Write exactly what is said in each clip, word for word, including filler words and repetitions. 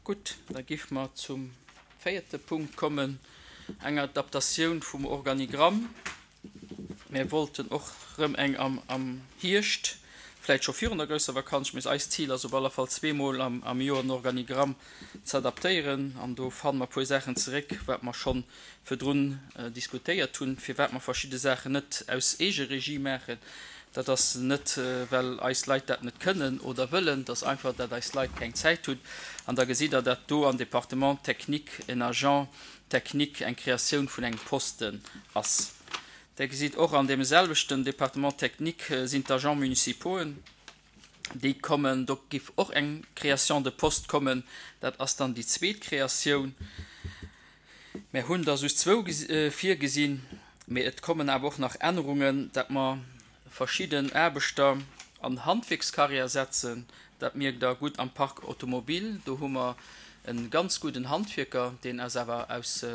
Gutt, da géife mer zum véierte Punkt kommen, enger Adaptatioun vum Organigramm. Mir wollten och rëm eng am, am Hierscht, vläicht scho virun der grousser Vakanz, mee eist Zil ass op alle Fall zweemol am, am Joer den Organigramm ze adaptéieren. An do fanne mer e puer Saachen zeréck, wat mer scho virdrun diskutéiert hunn, firwat mer verschidde Saachen net aus Eegeregie maachen. Dat ass net, well eis Leit dat net kënnen oder wëllen, dat ass einfach, dat eis Leit keng Zäit hunn. An da gesitt Der, dat do am Département technique en Agent technique eng Kreatioun vun engem Posten ass. Der gesitt och an deem selwechten Département technique sinn d'Agents municipauxen, déi kommen, do giff och eng Création de poste kommen, dat ass dann déi zweet Kreatioun. Mär hunn der just zwou virgesinn, mee et kommen awer och nach Ännerungen, dat mer verschidden Aarbechter an Handwierkscarrière setzen. Dat mierkt Der gutt am Parc automobile, do hu mer e ganz gudden Handwierker, deen ass awer aus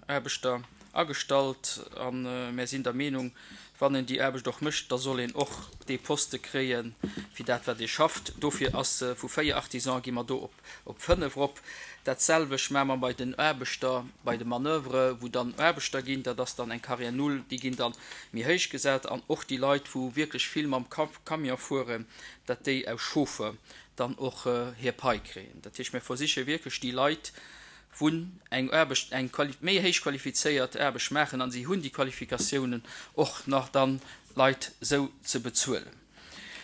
Aarbechter agestallt a mär sinn der Meenung, wann een déi Aarbecht och mécht, da soll een och dee Poste kréie fir dat wat ee schafft. Dofir ass vu véier Artisans gi mer do op fënnef erop. Dat selwecht maache mer bei den Aarbechter, bei de Manoeuvre wou dann Aarbechter ginn, dat ass dann eng Carrière null, déi ginn dann méi héich gesat an och déi Leit wou wierklech vill mam Camion fueren, dat déi aus Chauffeur dann och hir Pai kréien. Dat heescht, mir versiche wierklech déi Leit, wou eng Aarbecht, eng méi héich qualifizéiert Aarbecht maachen an si hunn déi Qualifikatiounen, och nach dann d'Leit esou ze bezuelen.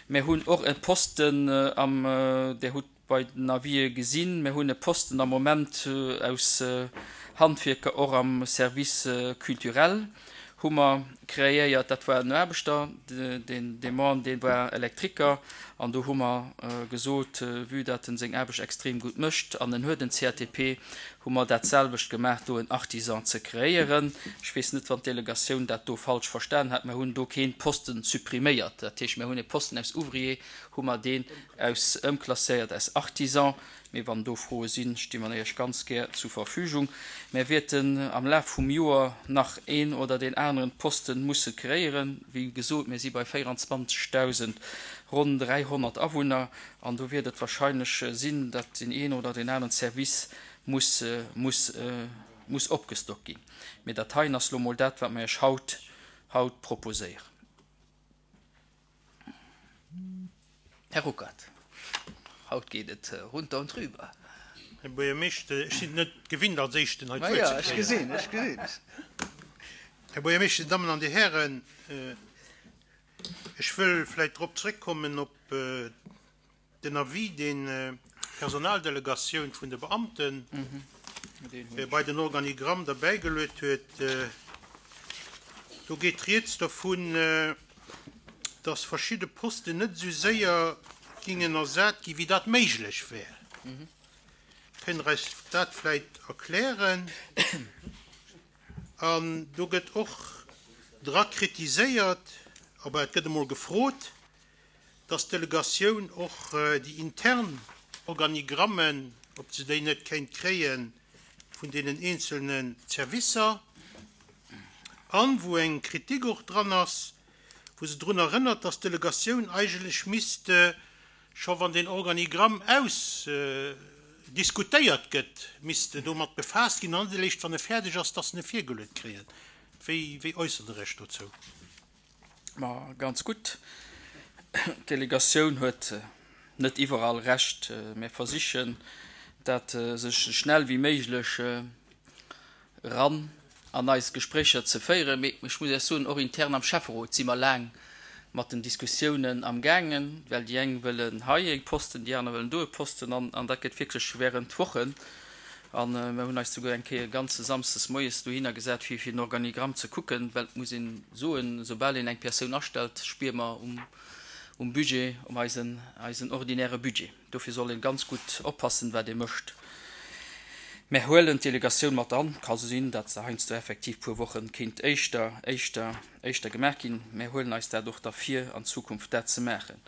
Mir hunn och e Posten am, Dir hutt bei den Avisë gesinn, mir hunn e Posten am Moment aus Handwierker och am Service culturel hu mer kreéiert. Dat war en Aarbechter, deen dee Mann, dee war Elektriker an do hu mer gesot, vue dat en seng Aarbecht extrem gutt mécht an en huet en C A T P, hu mer dat selwecht gemaach, do en Artisan ze kreéieren. Ech weess net, wann d'Delegatioun dat do falsch verstan hat. Mer hunn do kee Posten suppriméiert. Dat heescht, mer hunn e Posten aus Ouvrier, hu mer deen aus ëmklasséiert aus Artisan. Mee wann do Froe sinn, sti mer Iech ganz gär zur Verfügung. Mir wäerten am Laf vum Joer nach een oder deen aneren Posten musse kreéieren. Wéi gesot, mir si bei véierundzwanzegdausend, ronn dräihonnert Awunner an do wäert et wahrscheinlech sinn, datt deen een oder deen aneren Service muss, muss, muss opgestockt ginn. Mee dat heien ass lo mol dat, wat mir Iech haut, haut proposéieren. Här Ruckert, haut geet et runter und drüber. Här Buergermeeschter, ech sinn net gewinnt, als Éischten hei d'Wuert ze kréien. Ech gesinn, ech gesinn. Här Buergermeeschter, Dammen an Dir Hären, ech wëll vläicht drop zréckkommen op den Avis, deen d'Personaldelegatioun vun de Beamten bei den Organigramm derbäigeluet huet. Do geet rieds dovun, dass verschidde Posten net esou séier gingen ersat ginn, wéi dat méiglech wär. Kënnt Der eis dat vläicht erklären? An do gëtt och dra kritiséiert, aber et gëtt emol gefrot, dass d'Delegatioun och déi intern Organigrammen, ob se déi net kéint kréie vun deenen eenzelne Servicer, an wou eng Kritik och dran ass, wou se drun erënnert, dass d'Delegatioun eigentlech misst, scho wann den Organigramm ausdiskutéiert gëtt, misst domat befaasst ginn, an net eréischt wann e fäerdeg ass, dass se e virgeluet kréien. Wéi, wéi äussert Der Iech dozou? Ma ganz gutt. D'Delegatioun huet net iwwerall Recht. Mir versichen, dat esou schnell wéi méiglech eran an eis Gespréicher ze féieren. Mee ech muss Iech soen, och intern am Schäfferot si mer laang mat den Diskussiounen am gaangen, well déi eng wëllen hei e Posten, déi aner wëllen do e Posten, an, an dat gëtt wierklech während Wochen. An mir hunn eis souguer eng Kéier e ganze Samsdes moies dohinner gesat, fir fir den Organigramm ze kucken, well et muss een soen, soubal een eng Persoun astellt, spiere mer um, um Budget, um eisen, eisen ordinäre Budget. Dofir soll een ganz gutt oppassen, wat ee mécht. Mär huelen d'Delegatioun mat an. Ka sinn, datt se heiansdo effektiv puer Wochen kéint éischter, éischter, éischter gemaach ginn. Mär huelen eis dat och da vir, an Zukunft dat ze maachen.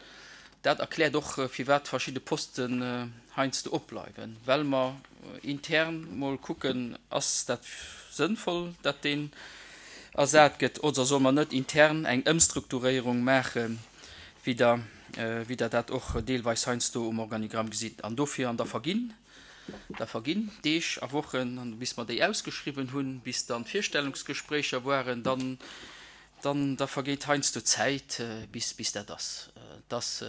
Dat erkläert och, firwat verschidde Posten heiansdo opbleiwen, well mer intern mol kucken, ass dat sënnvoll, dat deen ersat gëtt, oder soll mer net intern eng Ëmstrukturéierung maachen, wéi der, wéi der dat och deelweis heiansdo um Organigramm gesitt. An dofir an der Verginn Da verginn Deeg a Wochen, an bis mer déi ausgeschriwwen hunn, bis dann d'Virstellungsgespréicher waren, dann, dann da vergeet heiansdo Zäit, bis, bis dat ass. Dat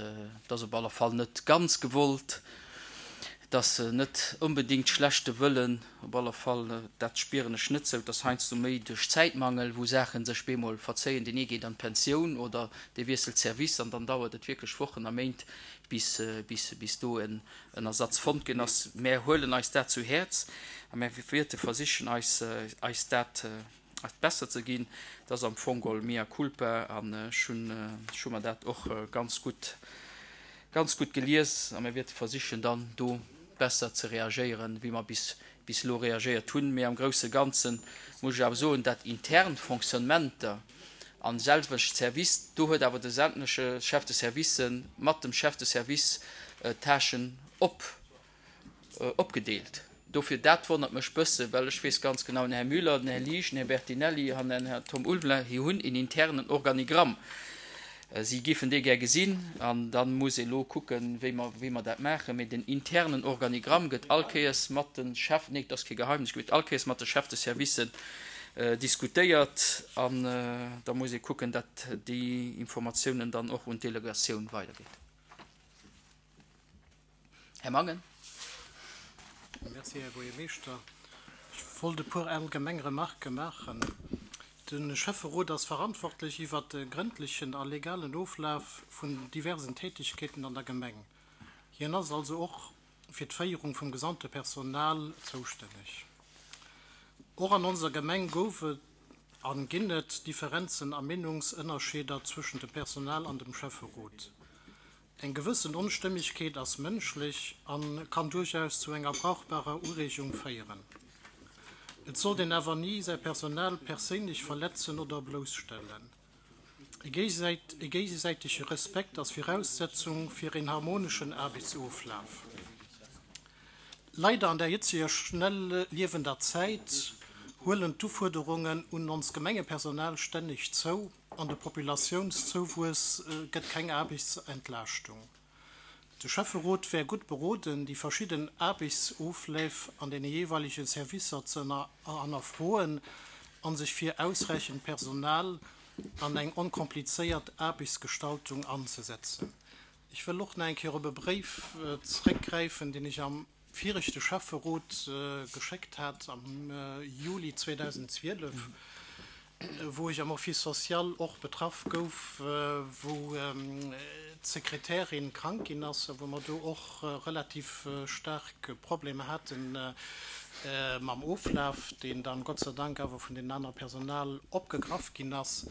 ass op alle Fall net ganz gewollt, et ass net onbedéngt schlechte Wëllen, op alle Fall, dat spieren ech net sou, et ass heiansdo méi duerch Zäitmangel, wou Saache sech bemol verzéien, deen ee geet an d'Pensioun oder dee wiesselt Service an dann dauert et wierklech Wochen a Méint, bis, bis, bis do en, en Ersatz fonnt ginn ass. Mär huelen eis dat zu Häerz a mär wäerte versichen, eis, eis dat besser ze ginn. Dat ass am Fong geholl mea culpa an ech hunn, ech hu mer dat och ganz gutt, ganz gutt gelies a mir wäerte versichen, dann do besser ze reagéieren, wéi mer bis, bis elo reagéiert hunn. Mee am grousse Ganze muss ech awer soen, dat intern Fonctionnementer an selwecht Service, do huet awer de sämtleche Chef de Servicë mat dem Chef de Service d'Tâchen op, opgedeelt. Dofir, dat wonnert mech bësse, well ech weess ganz genau, den Här Müller, den Här Liesch, den Här Bertinelli an den Här Tom Ulveling, hie hunn een internen Organigramm. Si géifen dee gär gesinn an da muss ee lo kucken, wéi mer, wéi mer dat maachen. Mee den internen Organigramm gëtt all Kéiers mat de Chef, nee, dat ass kee Geheimnis, gëtt all Kéiers mat de Chef de Servicen diskutéiert an da muss ee kucken, datt déi Informatiounen dann och un d'Delegatioun weidergeet. Här Mangen. Merci, Här Buergermeeschter. Ech wollt e puer allgemeng Remarquë maachen. De Schäfferot ass verantwortlech iwwert de grëndlechen a legalen Oflaf vun diversen Tätigkeeten an der Gemeng. Hien ass also och fir d'Féierung vum gesamte Personal zoustänneg. Och an onser Gemeng gouf et an ginn et Differenzen a Meenungsënnerscheeder zwëschen dem Personal an dem Schäfferot. Eng gewëssen Onstëmmegkeet ass mënschlech a kann duerchaus zu enger brauchbarer Ureegung féieren. Et sollt een awer ni säi Personal perséinlech verletzen oder blousstellen. E géigesäitege Respekt ass Viraussetzung fir een harmoneschen Aarbechtsoflaf. Leider an der jetzeger schnell liewender Zäit huelen d'Ufuerderungen un ons Gemengepersonal stänneg zou an de Populatiounszouwuess gëtt keng Aarbechtsentlaaschtung. De Schäfferot wär gutt beroden, déi verschidden Aarbechtsofleef an deene jeeweilege Servicer ze hannerfroen a sech fir ausräichend Personal an eng onkomplizéiert Aarbechtsgestaltung anzesetzen. Ech wëll och nach eng Kéier op e Bréif zréckgräifen, deen ech am viregte Schäfferot geschéckt hat am Juli zweedausendzwielef, wou ech am Office social och betraff gouf, wou d'Sekretärin krank ginn ass a wou mer do och relativ staark Problemer hate mam Oflaf, deen dann Gott sei Dank awer vun den anere Personal opgegraff ginn ass.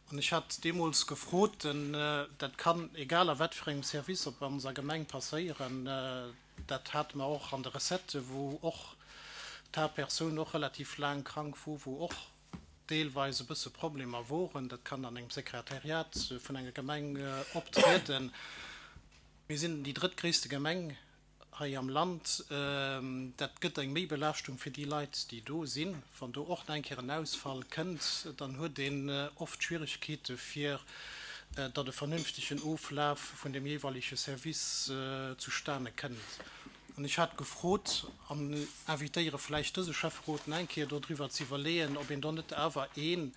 An ech hat deemools gefrot, denn dat kann egal a wat fir engem Service op onser Gemeng passéieren, dat hate mer och an de Recettë, wou och d'Haaptpersoun och relativ laang krank wor, wou och deelweis e bësse Problemer woren. Dat kann an engem Sekretariat vun enger Gemeng optrieden. Mir sinn déi drëttgréisste Gemeng hei am Land. Dat gëtt eng Méibelaaschtung fir déi Leit, déi do sinn. Wann do och nach eng Kéier en Ausfall kënnt, dann huet een oft Schwieregkeete fir datt e vernünftegen Oflaf vun dem jeeweilege Service zustane kënnt. An ech hat gefrot an invitéiere vläicht dëse Schäfferot nach eng Kéier dodriwwer ze iwwerleeën, ob een do net awer een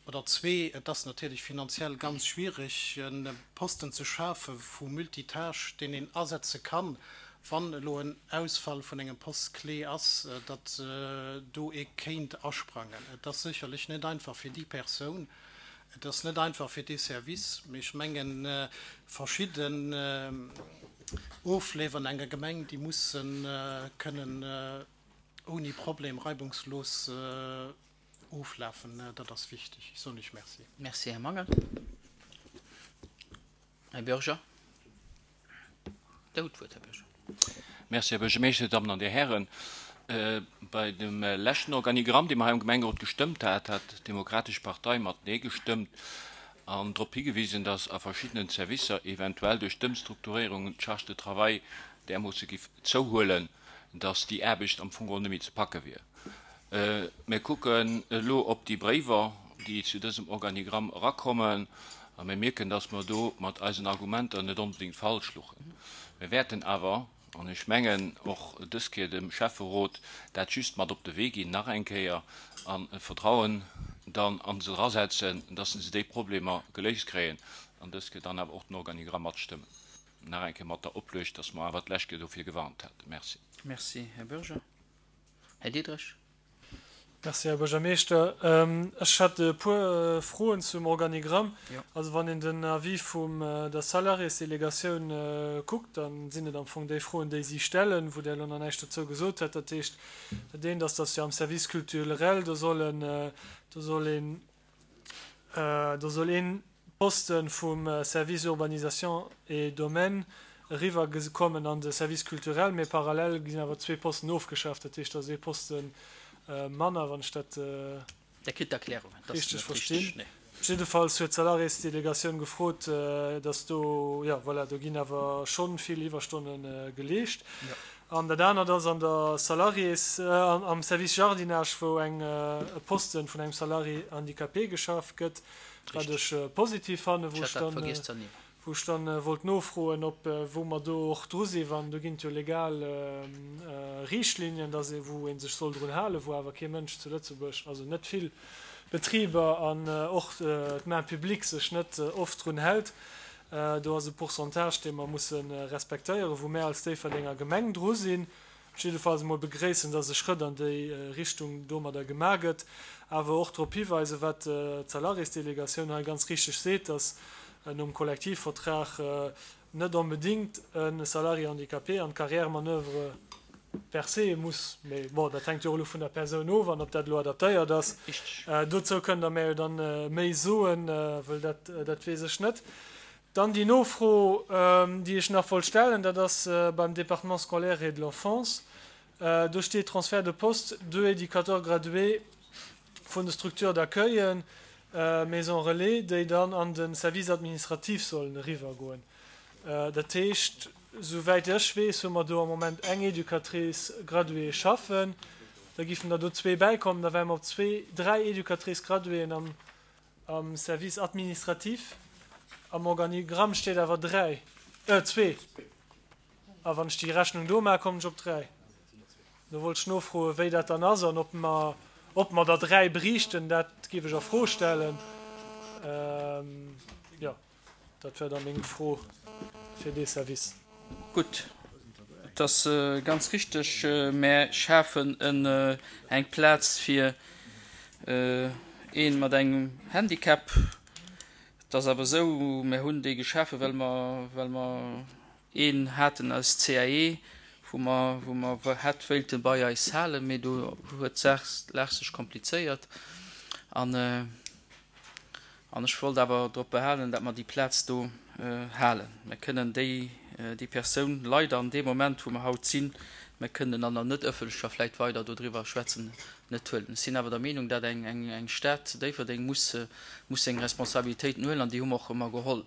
oder zwee, et ass natierlech finanziell ganz schwiereg, e Posten ze schafe vu Multitâche, deen een asetze kann, wann elo en Ausfall vun engem Poste clé ass, datt do ee kéint asprangen. Et ass sécherlech net einfach fir déi Persoun, et ass net einfach fir dee Service, mee ech mengen, verschidden Ofleef an enger Gemeng, déi musse kënnen ouni Problem reibungslos oflafen. Dat ass wichteg. Ech soen Iech Merci. Merci, Här Mangel. Här Bürger. Der hutt d'Wuert, Här Bürger. Merci, Här Buergermeeschter, Dir Dammen an Dir Hären. Bei dem leschten Organigramm, dee mer hei am Gemengerot gestëmmt hat, hat d'Demokratesch Partei mat Nee gestëmmt an drop higewisen, dass a verschiddenen Servicer eventuell duerch d'Ëmstrukturéierung d'Charge de travail därmoosse giff zouhuelen, dass déi Aarbecht am Fong geholl net méi ze packe wier. Mir kucken elo op déi Bréiwer, déi zu dësem Organigramm erakommen, a mir mierken, dass mer do mat eisen Argumenter net onbedéngt falsch luchen. Mir wäerten awer An ech mengen och dës Kéier dem Schäfferot dat just mat op de Wee ginn, nach eng Kéier an Vertrauen dann an se drasetzen, dass se déi Problemer geléist kréien an dës Kéier dann awer och den Organigramm matstëmmen. Nach eng Kéier mat der Opluecht, dass mer awer d'lescht Kéier dofir gewarnt haten. Merci. Merci, Här Bürger. Här Diederich. Merci, Här Buergermeeschter. Ech hätt e puer Froen zum Organigramm. Also wann een den Avis vum der Salariésdelegatioun kuckt, da sinn et am Fong déi Froen, déi si stellen, wou Der elo nach näischt dozou gesot hutt. Dat heescht, dat eent ass, dass jo am Service culturel, do sollen, do soll een, do soll ee Poste vum Service Urbanisation et Domaines eriwwer kommen an de Service culturel, mee parallel ginn awer zwee Posten ofgeschaaft. Dat heescht, da ass ee Posten manner, wann ech dat Der kritt d'Erklärungen. Dat ass richteg net richteg, verstinn. nee. Jiddefalls huet d'Salariésdelegatioun gefrot, dass do, jo, voilà, do ginn awer schonn vill Iwwerstonne geleescht. An dat anert ass an der Salariés, am Service Jardinage, wou eng, e Posten vun engem Salarié handicapé geschaf gëtt, wat Richteg. ech positiv fannen, Ech wou ech hat dat dann, vergiess ze ernimmen. wou ech dann wollt nofroen, ob, wou mer do och dru sinn, wann do ginn et jo legal Riichtlinien, dass ee, wou ee sech soll drun halen, wou awer kee Mënsch zu Lëtzebuerg, also net vill Betriber an och d'Main publique sech net oft drun hält. Do ass e Pourcentage, dee mer musse respektéieren, wou mär als Déifferdenger Gemeng dru sinn. Jiddefalls emol begréissen, dass e Schrëtt an déi Richtung domadder gemaach gëtt, awer och drop hiweisen, wat d'Salariésdelegatioun hei ganz richteg seet, dass nom Kollektivvertrag net onbedéngt e Salarié handicapé an d'Carrière-manœuvre per se muss, mee bon, dat hänkt jo och elo vun der Persoun of an ob dat elo adaptéiert ass. Dozou kënnt Der mär jo dann méi soen, wëll dat, dat weess ech net. Dann déi Nofro, déi ech nach wollt stellen, dat ass beim Département scolaire et de l'enfance. Do steet Transfert de poste, deux éducateurs gradués vun de Structures d'accueil, Maisons relais, déi dann an de Service administratif sollen eriwwergoen. Dat heescht, souwäit ech weess, hu mer do am Moment eng Éducatrice graduée schaffen. Da giffen der do zwee bäikommen, da wäre mer op zwee, dräi Éducatrices graduéen am, am Service administratif. Am Organigramm steet awer dräi, äh, zwee. A wann ech déi Rechnung do maachen, kommen ech op dräi. Do wollt ech nofroen, wéi dat dann ass an ob mer, ob mer der dräi bräichten, dat géif ech a Fro stellen. Jo, dat wär da meng Fro fir dee Service. Gutt, et ass ganz richteg, mär schafen eng Plaz fir ee mat engem Handicap. Et ass awer esou, mär hunn déi geschafen, well mer, well mer een haten aus C A E, wou mer, wou mer hätt wéilte bei eis halen, mee do huet d'Saach, d'Lag sech komplizéiert. An, an ech wollt awer drop behalen, datt mer déi Plaz do halen. Mir kënnen déi, déi Persoun leider an deem Moment, wou mer haut sinn, mir kënnen an der net ëffentlecher vläicht weider dodriwwer schwätzen, net huelen. Ech sinn awer der Meenung, datt eng, eng, eng Stad Déifferdeng muss, muss seng Responsabilitéiten huelen, an déi hu mer och ëmmer geholl.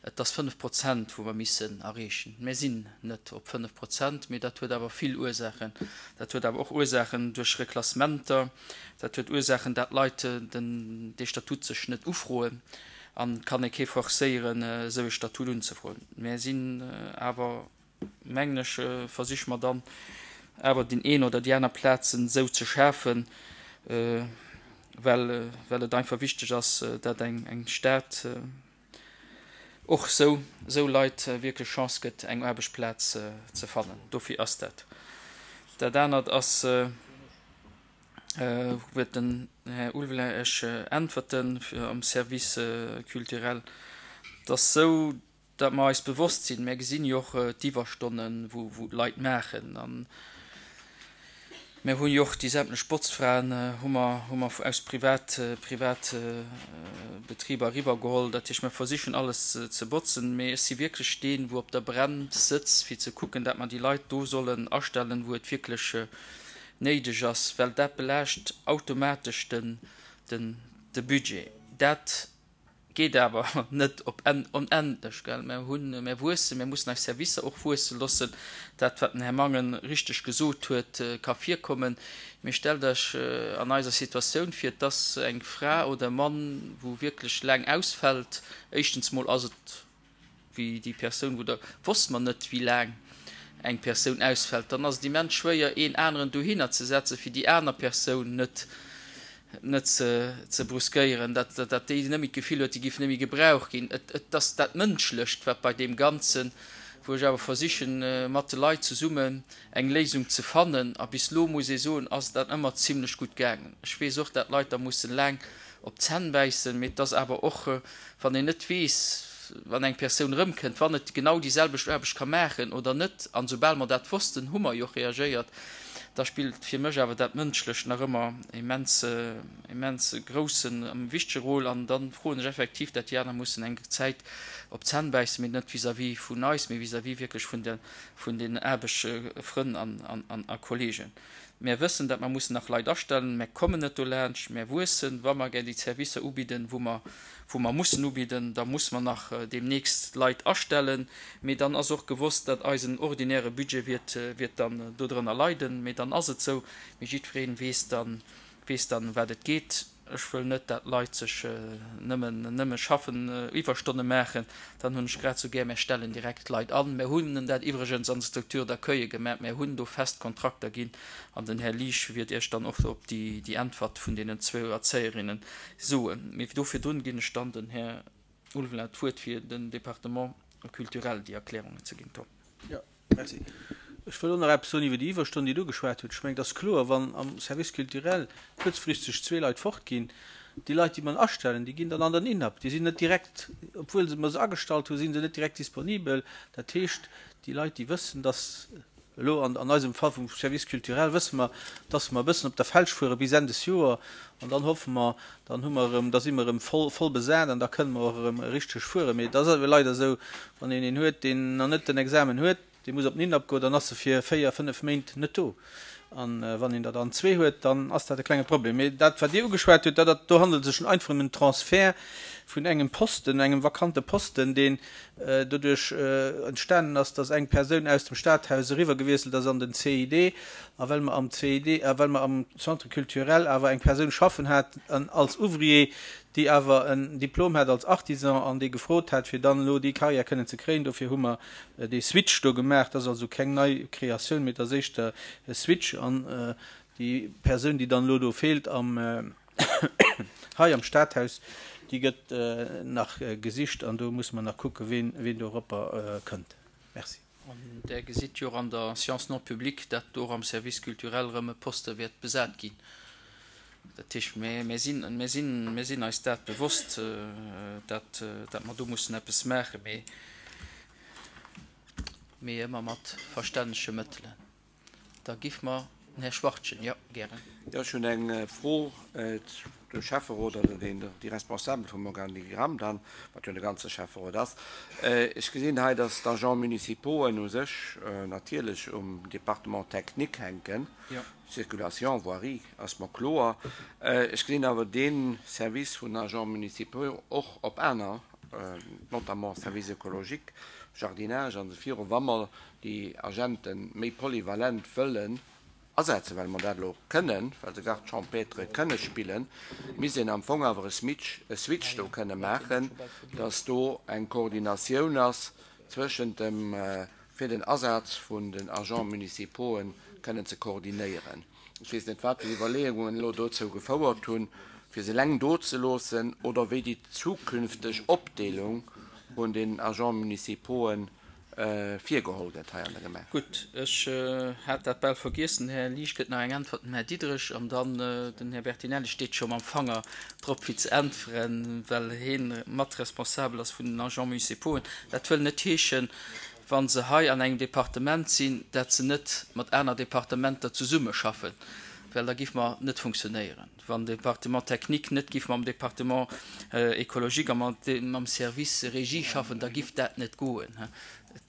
Et ass fënnef Prozent, wou mer missen erreechen. Mir sinn net op fënnef Prozent, mee dat huet awer vill Ursachen. Dat huet awer och Ursachen duerch Reklassementer, dat huet Ursachen, dat Leit den, dee Statut sech net ufroen an kann ee kee forcéieren, esou e Statut unzefroen. Mir sinn awer, mengen ech, versiche mer dann awer den een oder déi aner Plazen esou ze schafen, well, well et einfach wichteg ass, dat eng, eng Stad och sou, sou Leit wierklech Chance gëtt, eng Aarbechtsplaz ze fannen. Dofir ass dat. Dat anert ass, huet den Här Ulveling ech äntwerten fir am Service culturel, dass sou, dat mer eis bewosst sinn, mir gesinn jo och d'Iwwerstonnen, wou, wou d'Leit maachen. An mir hunn jo och déi sämtlech Botzfraen hu mer, hu mer aus Privat, Privat Betriber eriwwergeholl. Dat heescht, mir versichen alles ze, ze botzen, mee ech si wierklech deen, wou op der Brems sëtzt, fir ze kucken, dat mer déi Leit do sollen astellen, wou et wierklech néideg ass, well dat belaascht automatesch den, den, de Budget. Dat geet awer net op en-, onendlech, gell? Mir hunn, mir wuessen, mir mussen eis Servicer och wuesse loossen. Dat, wat den Här Mangen richteg gesot huet, ka virkommen. Mir stellt euch an eiser Situatioun vir, dass eng Fra oder e Mann, wou wierklech laang ausfällt, éischtens mol ass et wéi déi Persoun, wou der wosst man net, wéi laang eng Persoun ausfält, dann ass et immens schwéier, een aneren dohinner ze setzen, fir déi aner Persoun net net ze, ze bruskéieren, dat, dat, dat déi net méi d'Gefill huet, déi géif net méi gebraucht ginn. Et, et ass dat Mënschlecht, wat bei deem Ganzen, wou ech awer versichen, mat de Leit zesummen eng Léisung ze fannen. A bis elo, muss ee soen, ass dat ëmmer zimlech gutt gaangen. Ech weess och, dat Leit da mussen laang op d'Zänn bäissen, mee et ass awer och, wann een net weess, wann eng Persoun erëmkënnt, wann et genau déi selwecht Aarbecht ka maachen oder net, an soubal mer dat wossten, hu mer jo och reagéiert, da spillt fir mech awer dat Mënschlecht nach ëmmer immens, immens groussen a wichtege Rôle. An da froen ech effektiv, dat déi aner mussen eng Zäit op d'Zänn bäissen, mee net vis-à-vis vun eis, mee vis-à-vis wierklech vun de, vun den Aarbechtsfrënn an, an, a Kollegen. Mär wëssen, dat mer mussen nach Leit astellen. Mär kommen net dolaanscht. Mär wuessen. Wa mer gär déi Servicer ubidden, wou mer, wou mer mussen ubidden, da muss mer nach deemnächst Leit astellen. Mee dann ass och gewosst, dat eisen ordinäre Budget wiert, wiert dann dodrënner leiden. Mee dann ass et sou. Mee jiddweree weess dann, weess dann, wat et geet. Ech wëll net, dat Leit sech nëmmen, nëmme schaffen, Iwwerstonne maachen. Dann hunn ech grad esou gär, mär stellen direkt Leit an. Mär hunn dat iwwregens an der Structure d'accueil gemaach. Mär hunn do fest Kontrakter ginn. An den Här Liesch wiert Iech dann och op déi, déi Äntwert vun deenen zwou Erzéierinnen soen. Mee do virdrun ginn ech dann den Här Ulveling d'Wuert, fir den Département culturel déi Erklärungen ze ginn. Tom. Jo, merci. Ech wëll och nach eppes soen iwwer déi Iwwerstonnen, déi Der ugeschwat hutt. Ech mengen, et ass kloer, wann am Service culturel kuerzfristeg zwee Leit fortginn, déi Leit, déi mer astellen, déi ginn dann an den INAP. Déi sinn net direkt, obwuel mer se agestallt hunn, si se net direkt disponibel. Dat heescht, déi Leit, déi wëssen, dass elo an eisem Fall vum Service culturel wësse mer, dass mer e bëssen op der Felsch fuere bis Enn des Joer an dann hoffe mer, dann hu mer erëm, da si mer erëm voll, voll besat an da kënne mer och erëm richteg fueren. Mee et ass awer leider esou, wann een een huet, deen nach net den Examen huet, dee muss op den INAP goen, dann ass e fir véier, fënnef Méint net do. A wann een der dann zwee huet, dann ass dat e klenge Problem. Mee dat, wat Dir ugeschwat hutt, dat, do handelt et sech einfach ëm en Transfert vun engem Posten, engem vakante Posten, deen doduerch entstanen ass, dass eng Persoun aus dem Stadhaus eriwwergewiesselt ass an den C I D. A well mer am C I D, a well mer am Centre culturel awer eng Persoun schaffen haten als Ouvrier, déi awer en Diplom hat als Artisan an déi gefrot hat, fir dann elo déi Carrière kënnen ze kréien. Dofir hu mer dee Switch do gemaach. Dat ass also keng nei Kreatioun, mee et ass éischter e Switch. An déi Persoun, déi dann elo do feelt am, hei am Stadhaus, déi gëtt nach gesicht an do musse mer nach kucken, ween, ween doropper kënnt. Merci. An Der gesitt jo och an der Séance non publique, dat do och am Service culturel erëm e Poste wäert besat ginn. Dat heescht, mir sinn, mir sinn, mir sinn eis dat bewosst, dat, dat mer do mussen eppes maachen, mee, mee ëmmer mat verstännege Mëttelen. Da giff mer den Här Schwachtgen, jo, gären. Jo, ech hunn eng Fro. De Schäfferot oder deen, déi Responsabel vum Organigramm dann, wat jo de ganze Schäfferot ass. Ech gesinn hei, dass d'Agents municipauxen u sech natierlech um Département technique hänken. Circulation, voirie ass mer kloer. Ech gesinn awer dee Service vun Agents municipaux och op aner, notamment Service écologique, Jardinage an esou viru. Wa mer déi Agente méi polyvalent wëllen asetzen, well mer dat elo kënnen, well se Garde champêtre kënne spillen, misst een am Fong awer e Switch, e Switch do kënne maachen, dass do eng Koordinatioun ass zwëschent dem, fir den Asaz vun den Agents municipauxen kënnen ze koordinéieren. Ech weess net, wat déi Iwwerleeungen elo dozou gefouert hunn, fir se eleng do ze loossen, oder wéi déi zukünfteg Opdeelung vun den Agents municipauxen virgeholl gëtt hei an der Gemeng. Gutt, ech hat dat bal vergiessen. Här Liesch gëtt nach eng Äntwert, den Här Diderich an dann den Här Bertinelli steet scho mam Fanger drop fir ze äntweren, well hie mat responsabel ass vun den Agents municipauxen. Dat wëll net heeschen, wa se hei an engem Departement sinn, dat se net mat aner Departementer zesummeschaffen, well da giff mer net funktionéieren. Wann de Département technique net giff mam Département écologique a mam Service régie schaffen, da giff dat net goen.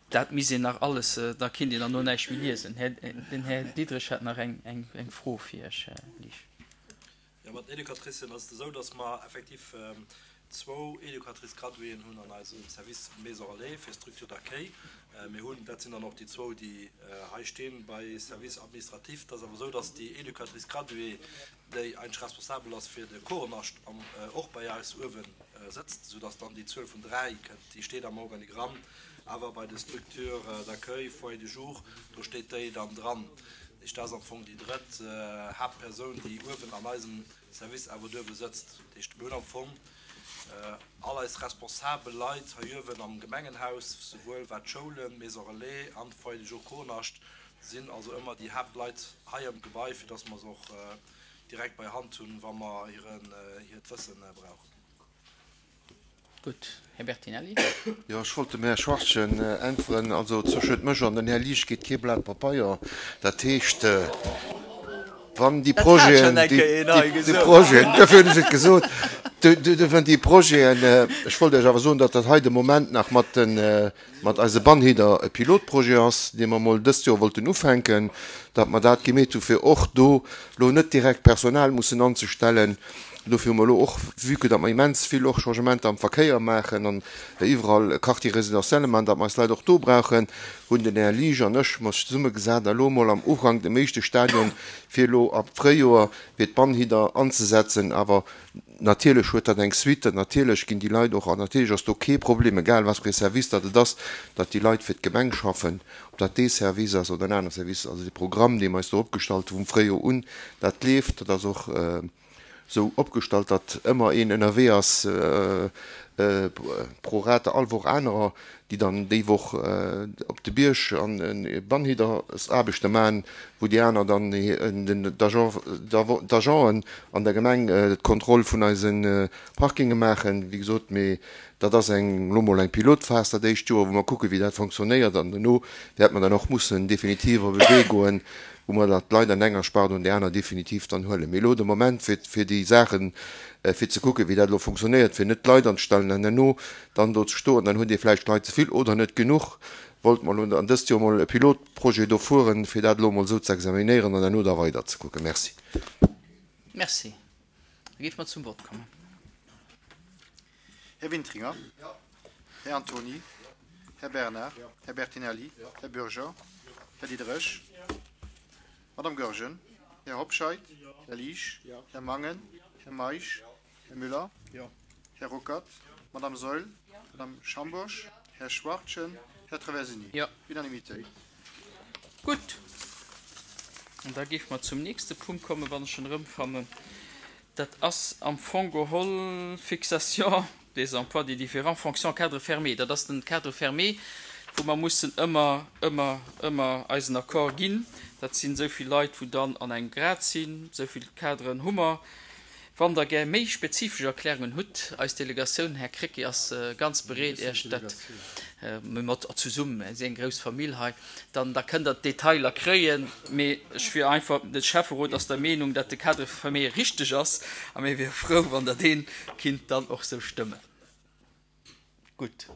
Dat misst een nach alles, da kinnt een derno näischt méi liesen. Den Här Diderich hat nach eng Fro fir Iech, Här Liesch. Jo, mat den Educatricen ass et esou, dass mer effektiv zwou Éducatrices graduéen hunn an eisem Service Maison Relais fir Structure d'accueil. Mir hunn, dat sinn dann och déi zwou, déi hei stinn, bei Service administratif. Et ass awer esou, dass déi Éducatrice graduée, déi eigentlech responsabel ass fir de Chorenascht, och bei eis uewe sëtzt, soudass dann déi Zuel vun dräi kënnt. Déi steet am Organigramm, awer bei de Structures d'accueil, Foyer de jour, do steet déi dann dran. Dat ass am Fong déi drëtt Haaptpersoun, déi uewen an eisem Service awer duerwe sëtzt. Dat heescht, mir hunn am Fong all eis responsabel Leit hei uewen am Gemengenhaus, souwuel wat d'Schoulen, d'Maison Relais an d'Foyer de jour Kohnascht sinn, also ëmmer déi Haaptleit hei am Gebai, fir dass mer se och direkt bei Hand hunn, wa mer hiert Wësse brauchen. Gutt. Här Bertinelli. Jo, ech wollt dem Här Schwachtgen äntweren. Also zwëschent mech an den Här Liesch geet kee Blat Papeier. Dat heescht, wann déi Projeten, déi Projeten, duerfir hunn ech et gesot, duerfir déi Projeten, ech wollt Iech awer soen, datt dat hei de Moment nach mat den, mat eise Bannhider e Pilotprojet ass, dee mer emol dëst Joer wollten ufänken, datt mer dat gemeet hu fir och do elo net direkt Personal mussen anzestellen. Dofir hu mer elo och, vue que datt mer immens vill och Changementer am Verkéier maachen an iwwerall Quartier résidentielle maachen, datt mer eis Leit och do brauchen, hunn den Här Liesch an ech mer zesummegesat a elo emol am Ufank dem éischte Stadion fir elo ab Fréijoer fir d'Bannhidder anzesetzen. Awer natierlech huet dat eng Suite, natierlech ginn déi Leit och, an natierlech ass do kee Problem, egal wat fir ee Service datt et ass, datt déi Leit fir d'Gemeng schaffen, ob dat dee Service ass oder en anere Service. Also dee Programm, dee mer eis do opgestallt hu vum Fréijoer un, dat leeft, dat ass och sou opgestallt, datt ëmmer een ënnerwee ass, pro rata all Woch anerer, déi dann déi Woch op de Bierg an Bannhiddersaarbechte maachen, wou déi aner dann d'Agenten an der Gemeng d'Kontroll vun eise Parkinge maachen. Wéi gesot, mee dat ass eng elo mol eng Pilotphas dat éischt Joer, wou mer kucken, wéi dat fonctionnéiert, an dono wäerte mer dann och mussen definitiv op e Wee goen, wou mer dann d'Leit an enger Spart an déi aner definitiv dann huelen. Mee elo de Moment, fir, fir déi Saachen, fir ze kucken, wéi dat elo funktionéiert, fir net d'Leit anzestellen an herno dann do ze stoen, dann hutt Dir vläicht Leit ze vill oder net genuch, wollte mer elo an dëst Joer emol e Pilotprojet do fueren, fir dat elo emol esou ze examinéieren an herno da weider ze kucken. Merci. Merci. Da géife mer zum Vott kommen. Här Wintringer. Här Antony. Här Bernard. Här Bertinelli. Här Bürger. Här Diderich. Madame Goergen. Här Hobscheit. Här Liesch. Här Mangen. Här Meisch. Här Müller. Här Ruckert. Madame Saeul. Madame Schambourg. Här Schwachtgen. Här Traversini. Unanimitéit. Gutt. An da géife mer zum nächste Punkt kommen, wann ech en erëmfannen. Dat ass am Fong geholl Fixation des emplois des différentes fonctions cadre fermé. Dat ass den Cadre fermé, wou mer mussen ëmmer, ëmmer, ëmmer eisen Accord ginn. Dat sinn esou vill Leit, wou dann an engem Grad sinn, esou vill Cadren hu mer. Wann Der gär méi spezifesch Erklärungen hutt, eis Delegatioun, Här Krecké, ass ganz bereet, Iech dat, mir mat zesummen, mir si eng grouss Famill hei, dann da kënnt Der d'Detailer kréien. Mee ech wier einfach, de Schäfferot ass der Meenung, datt de Cadre fermé richteg ass a mir wiere frou, wann Der dee kinnt dann och esou stëmmen. Gutt,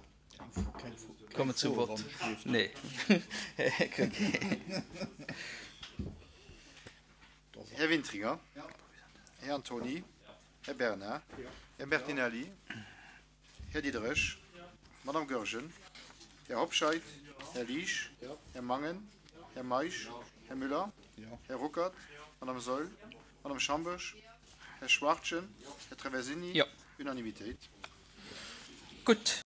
komme zum Vott. Nee, Här Krecké. Här Wintringer. Här Antony. Här Bernard. Här Bertinelli. Här Diderich. Madame Goergen. Här Hobscheit. Här Liesch. Här Mangen. Här Meisch. Här Müller. Här Ruckert. Madame Saeul. Madame Schambourg. Här Schwachtgen. Här Traversini. Unanimitéit. Gutt.